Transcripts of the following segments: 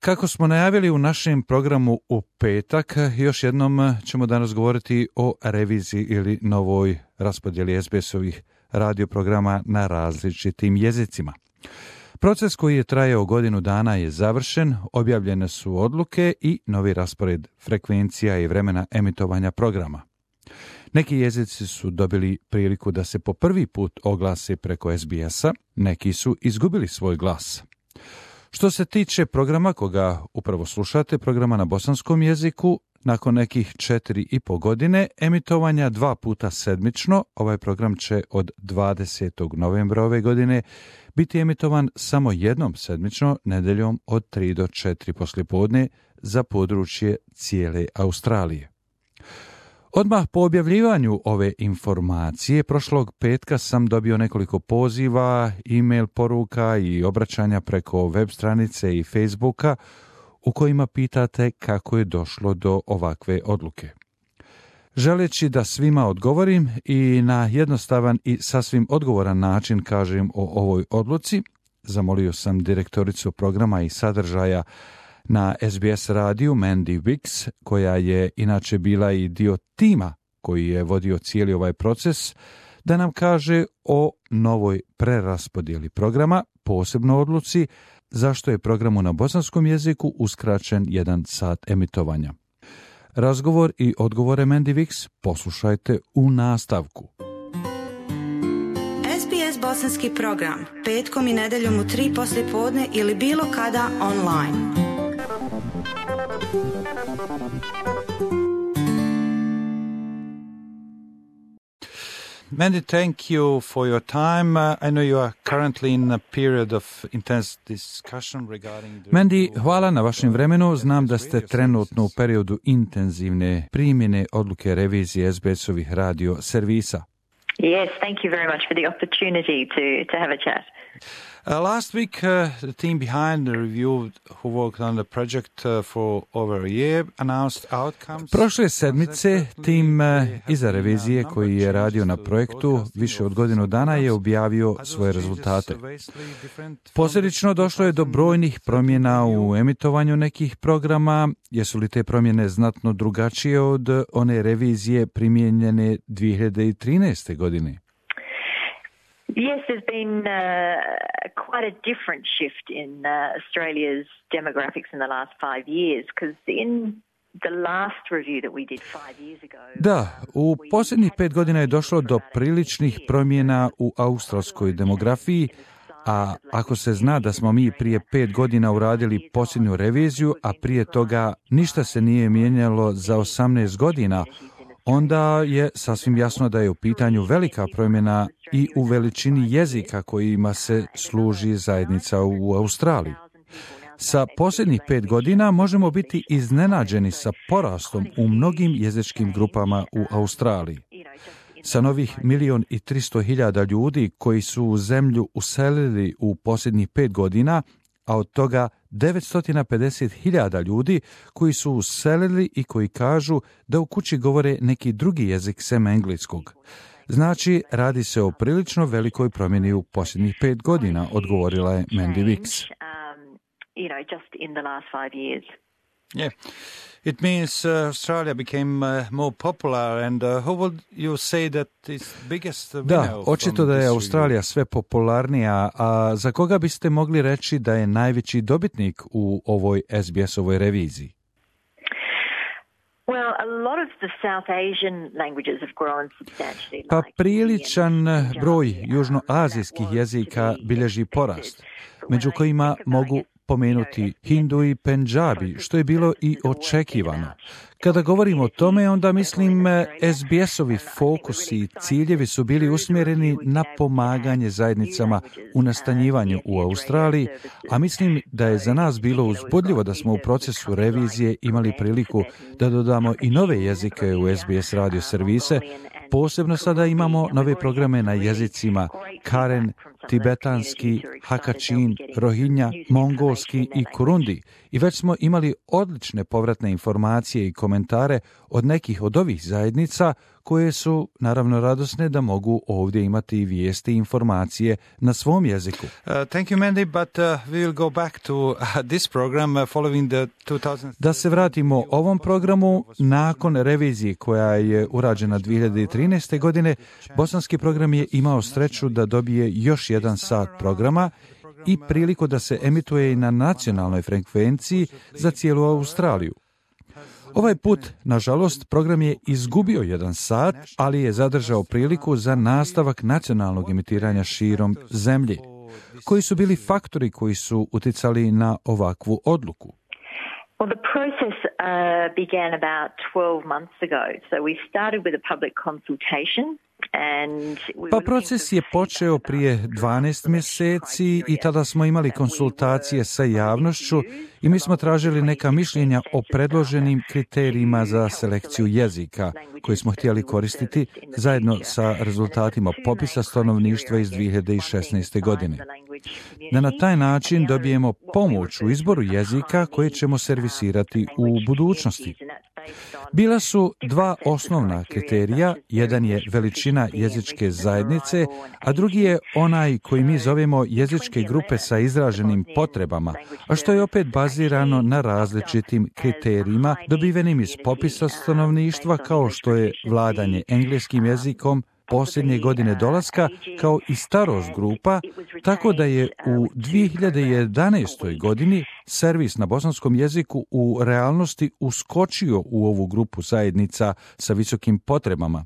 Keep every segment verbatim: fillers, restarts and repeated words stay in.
Kako smo najavili u našem programu u petak, još jednom ćemo danas govoriti o reviziji ili novoj raspodjeli es be es-ovih radioprograma na različitim jezicima. Proces koji je trajao godinu dana je završen, objavljene su odluke i novi raspored frekvencija i vremena emitovanja programa. Neki jezici su dobili priliku da se po prvi put oglase preko es be es-a, neki su izgubili svoj glas. Što se tiče programa koga upravo slušate, programa na bosanskom jeziku, nakon nekih četiri i po godine emitovanja dva puta sedmično, ovaj program će od dvadesetog novembra ove godine biti emitovan samo jednom sedmično, nedeljom od tri do četiri poslijepodne za područje cijele Australije. Odmah po objavljivanju ove informacije, prošlog petka sam dobio nekoliko poziva, e-mail poruka i obraćanja preko web stranice i Facebooka u kojima pitate kako je došlo do ovakve odluke. Želeći da svima odgovorim i na jednostavan i sasvim odgovoran način kažem o ovoj odluci, zamolio sam direktoricu programa i sadržaja na es be es radiju Mandy Wicks, koja je inače bila i dio tima koji je vodio cijeli ovaj proces, da nam kaže o novoj preraspodjeli programa, posebno odluci zašto je programu na bosanskom jeziku uskraćen jedan sat emitovanja. Razgovor i odgovore Mandy Wicks poslušajte u nastavku. es be es bosanski program, petkom i nedeljom u tri poslijepodne ili bilo kada online. Mandy, thank you for your time. Uh, I know you are currently in a period of intense discussion regarding the... Mandy, hvala na vašem vremenu. Znam da ste trenutno u periodu intenzivne primjene odluke revizije es be es-ovih radio servisa. Yes, thank you very much for the opportunity to, to have a chat. Uh, last week, uh, the team behind the review who worked on the project uh, for over a year announced outcomes. Prošle sedmice, tim uh, iza revizije koji je radio na projektu više od godinu dana je objavio svoje rezultate. Posljedično došlo je do brojnih promjena u emitovanju nekih programa. Jesu li te promjene znatno drugačije od one revizije primijenjene dvije hiljade trinaeste. godine? Yes, there's been uh, quite a different shift in uh, Australia's demographics in the last five years, because in the last review that we did five years ago... Da, u posljednjih pet godina je došlo do priličnih promjena u australskoj demografiji, a ako se zna da smo mi prije pet godina uradili posljednju reviziju, a prije toga ništa se nije mijenjalo za osamnaest godina, onda je sasvim jasno da je u pitanju velika promjena i u veličini jezika kojima se služi zajednica u Australiji. Sa posljednjih pet godina možemo biti iznenađeni sa porastom u mnogim jezičkim grupama u Australiji. Sa novih milion i tristo hiljada ljudi koji su u zemlju uselili u posljednjih pet godina, a od toga devetsto pedeset hiljada ljudi koji su uselili i koji kažu da u kući govore neki drugi jezik sem engleskog. Znači, radi se o prilično velikoj promjeni u posljednjih pet godina, odgovorila je Mandy Wicks. Yeah. It means uh, Australia became uh, more popular and uh, how would you say that is biggest winner? Da, očito da je Australija sve popularnija, a za koga biste mogli reći da je najveći dobitnik u ovoj es be es-ovoj reviziji? Well, a lot of the South Asian languages have grown substantially. Pa priličan broj južnoazijskih jezika bilježi porast, među kojima mogu pomenuti Hindu i Pendžabi, što je bilo i očekivano. Kada govorimo o tome, onda mislim es be es-ovi fokusi i ciljevi su bili usmjereni na pomaganje zajednicama u nastanjivanju u Australiji, a mislim da je za nas bilo uzbudljivo da smo u procesu revizije imali priliku da dodamo i nove jezike u es be es radio servise, Posebno sada imamo nove programe na jezicima Karen, tibetanski, Hakachin, Rohinja, mongolski i Kurundi i već smo imali odlične povratne informacije i komentare od nekih od ovih zajednica koje su naravno radosne da mogu ovdje imati vijesti i informacije na svom jeziku. Uh, thank you, Mandy, but uh, we will go back to uh, this program uh, following the two thousand... Da se vratimo ovom programu, nakon revizije koja je urađena dvije hiljade trinaeste. godine, bosanski program je imao sreću da dobije još jedan sat programa i priliku da se emituje i na nacionalnoj frekvenciji za cijelu Australiju. Ovaj put, nažalost, program je izgubio jedan sat, ali je zadržao priliku za nastavak nacionalnog emitiranja širom zemlje. Koji su bili faktori koji su uticali na ovakvu odluku? Well, the process uh, began about twelve months ago. So we started with a public consultation. Pa proces je počeo prije dvanaest mjeseci i tada smo imali konsultacije sa javnošću i mi smo tražili neka mišljenja o predloženim kriterijima za selekciju jezika koje smo htjeli koristiti zajedno sa rezultatima popisa stanovništva iz dvije hiljade šesnaeste. godine. Da na taj način dobijemo pomoć u izboru jezika koje ćemo servisirati u budućnosti. Bila su dva osnovna kriterija, jedan je veličina jezičke zajednice, a drugi je onaj koji mi zovemo jezičke grupe sa izraženim potrebama, a što je opet bazirano na različitim kriterijima dobivenim iz popisa stanovništva kao što je vladanje engleskim jezikom, posljednje godine dolaska, kao i starost grupa, tako da je u dvije hiljade jedanaestoj. godini servis na bosanskom jeziku u realnosti uskočio u ovu grupu zajednica sa visokim potrebama.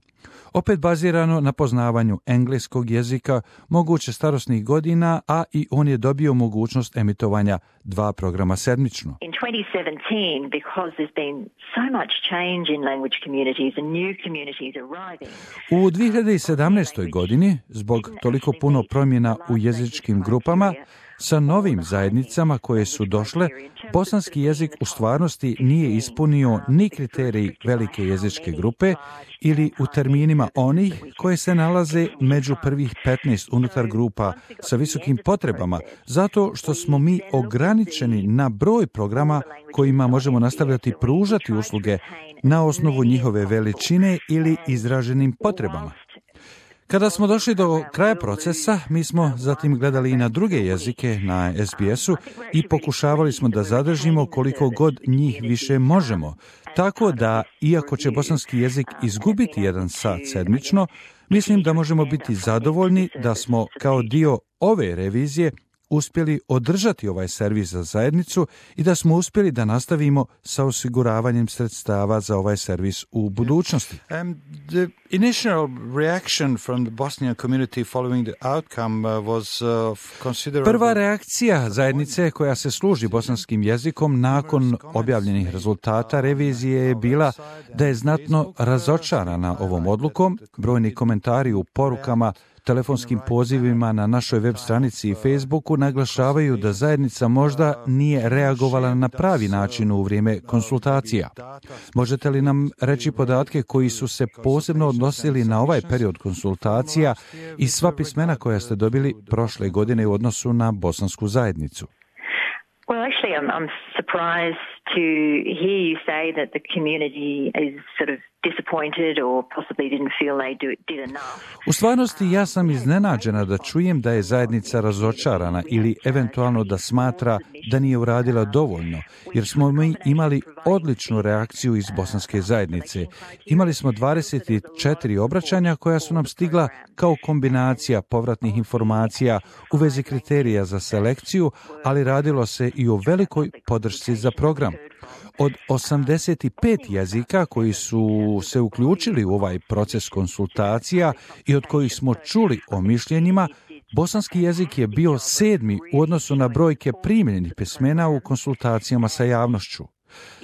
Opet bazirano na poznavanju engleskog jezika, moguće starosnih godina, a i on je dobio mogućnost emitovanja dva programa sedmično. In twenty seventeen, because there's been so much change in language communities and new communities arriving. U dvije hiljade sedamnaestoj. godini, zbog toliko puno promjena u jezičkim grupama, sa novim zajednicama koje su došle, bosanski jezik u stvarnosti nije ispunio ni kriterij velike jezičke grupe ili u terminima onih koje se nalaze među prvih petnaest unutar grupa sa visokim potrebama, zato što smo mi ograničeni na broj programa kojima možemo nastavljati pružati usluge na osnovu njihove veličine ili izraženim potrebama. Kada smo došli do kraja procesa, mi smo zatim gledali i na druge jezike na es be esu i pokušavali smo da zadržimo koliko god njih više možemo. Tako da, iako će bosanski jezik izgubiti jedan sat sedmično, mislim da možemo biti zadovoljni da smo kao dio ove revizije uspjeli održati ovaj servis za zajednicu i da smo uspjeli da nastavimo sa osiguravanjem sredstava za ovaj servis u budućnosti. Um, the initial reaction from the Bosnian community following the outcome uh, was uh, considerable. Prva reakcija zajednice koja se služi bosanskim jezikom nakon objavljenih rezultata revizije je bila da je znatno razočarana ovom odlukom. Brojni komentari u porukama, telefonskim pozivima na našoj web stranici i Facebooku naglašavaju da zajednica možda nije reagovala na pravi način u vrijeme konsultacija. Možete li nam reći podatke koji su se posebno odnosili na ovaj period konsultacija i sva pismena koja ste dobili prošle godine u odnosu na bosansku zajednicu? Well, actually, I'm, I'm surprised to hear you say that the community is sort of disappointed or possibly didn't feel they do, did enough. U stvarnosti ja sam iznenađena da čujem da je zajednica razočarana ili eventualno da smatra da nije uradila dovoljno, jer smo mi imali odličnu reakciju iz bosanske zajednice. Imali smo dvadeset četiri obraćanja koja su nam stigla kao kombinacija povratnih informacija u vezi kriterija za selekciju, ali radilo se i o velikoj podršci za program. Od osamdeset pet jezika koji su se uključili u ovaj proces konsultacija i od kojih smo čuli o mišljenjima, bosanski jezik je bio sedmi u odnosu na brojke primljenih pismena u konsultacijama sa javnošću.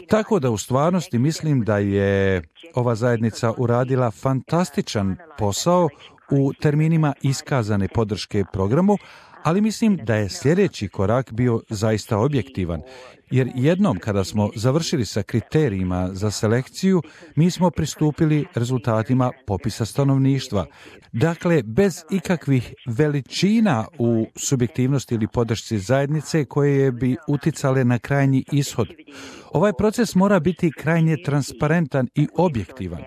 Tako da u stvarnosti mislim da je ova zajednica uradila fantastičan posao u terminima iskazane podrške programu, Ali mislim da je sljedeći korak bio zaista objektivan, jer jednom kada smo završili sa kriterijima za selekciju, mi smo pristupili rezultatima popisa stanovništva. Dakle, bez ikakvih veličina u subjektivnosti ili podršci zajednice koje bi uticale na krajnji ishod. Ovaj proces mora biti krajnje transparentan i objektivan.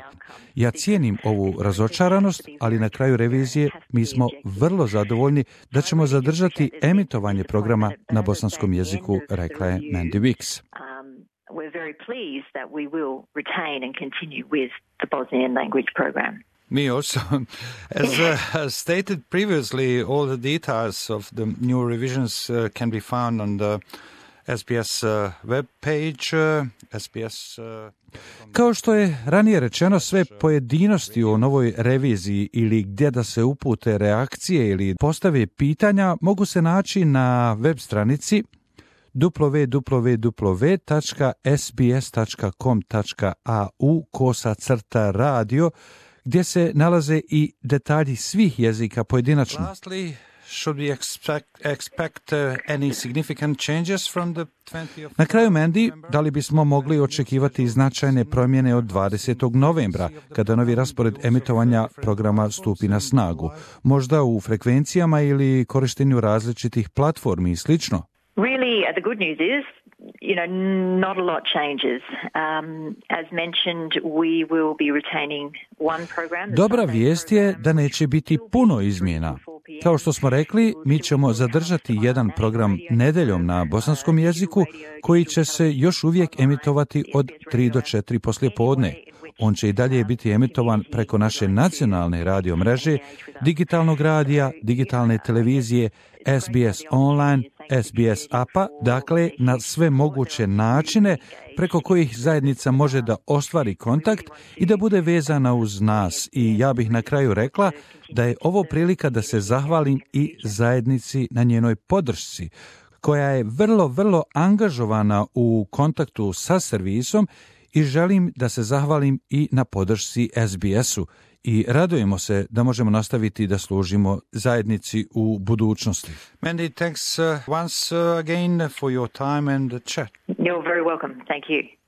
Ja cijenim ovu razočaranost, ali na kraju revizije mi smo vrlo zadovoljni da ćemo zadržati emitovanje programa na bosanskom jeziku, rekla je Mandy Wicks. We're very pleased that we will retain and continue with the Bosnian language program. Me also. As uh, stated previously, all the details of the new revisions uh, can be found on the S B S uh, web page, uh, S B S... Uh, Kao što je ranije rečeno, sve pojedinosti o novoj reviziji ili gdje da se upute reakcije ili postave pitanja mogu se naći na web stranici w w w tačka s b s tačka com tačka a u kosa crta radio, gdje se nalaze i detalji svih jezika pojedinačno. Lastly, should we expect, expect uh, any significant changes from the twentieth Na kraju, Mandy, da li bismo mogli očekivati značajne promjene od dvadesetog novembra, kada novi raspored emitovanja programa stupi na snagu? Možda u frekvencijama ili korištenju različitih platformi i slično? Really, uh, the good news is, you know, not a lot changes. Um, as mentioned, we will be retaining one program. Dobra vijest je da neće biti puno izmjena. Kao što smo rekli, mi ćemo zadržati jedan program nedeljom na bosanskom jeziku koji će se još uvijek emitovati od tri do četiri poslijepodne. On će i dalje biti emitovan preko naše nacionalne radio mreže, digitalnog radija, digitalne televizije, S B S online, S B S apa, dakle na sve moguće načine preko kojih zajednica može da ostvari kontakt i da bude vezana uz nas. I ja bih na kraju rekla da je ovo prilika da se zahvalim i zajednici na njenoj podršci, koja je vrlo, vrlo angažovana u kontaktu sa servisom, i želim da se zahvalim i na podršci S B S-u i radujemo se da možemo nastaviti da služimo zajednici u budućnosti. Mandy, thanks uh, once uh, again for your time and the chat. You're very welcome. Thank you.